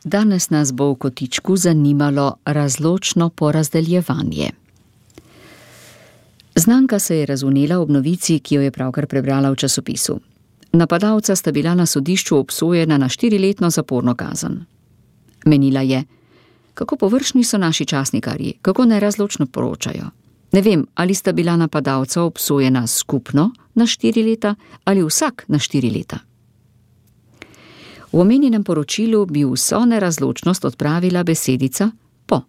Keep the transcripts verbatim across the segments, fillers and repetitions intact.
Danes nas bo v kotičku zanimalo razločno porazdeljevanje. Znanka se je razvnela ob novici, ki jo je pravkar prebrala v časopisu. Napadalca sta bila na sodišču obsojena na štiriletno zaporno kazen. Menila je, kako površni so naši časnikarji, kako nerazločno poročajo. Ne vem, ali sta bila napadalca obsojena skupno na štiri leta ali vsak na štiri leta. V omenjenem poročilu bi vso nerazločnost odpravila besedica po.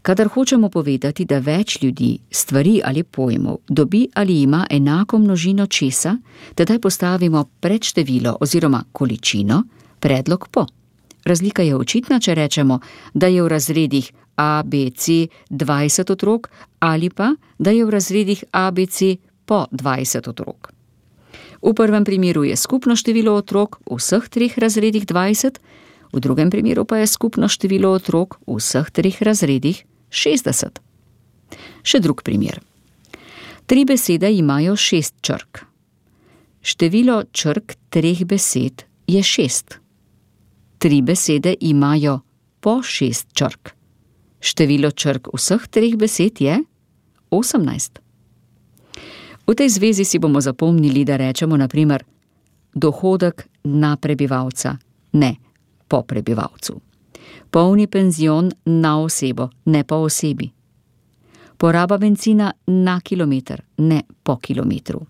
Kadar hočemo povedati, da več ljudi, stvari ali pojmov dobi ali ima enako množino česa, tedaj postavimo pred število oziroma količino predlog po. Razlika je očitna, če rečemo, da je v razredih A, B, C dvajset otrok ali pa, da je v razredih A, B, C po dvajset otrok. V prvem primeru je skupno število otrok v vseh treh razredih dvajset, v drugem primeru pa je skupno število otrok v vseh treh razredih šestdeset. Še drug primer. Tri besede imajo šest črk. Število črk treh besed je šest. Tri besede imajo po šest črk. Število črk vseh treh besed je osemnajst. V tej zvezi si bomo zapomnili, da rečemo na primer dohodek na prebivalca, ne po prebivalcu. Polni penzion na osebo, ne po osebi. Poraba bencina na kilometer, ne po kilometru.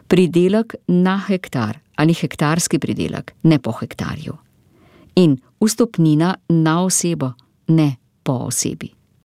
Pridelek na hektar ali hektarski pridelek, ne po hektarju. In vstopnina na osebo, ne po osebi.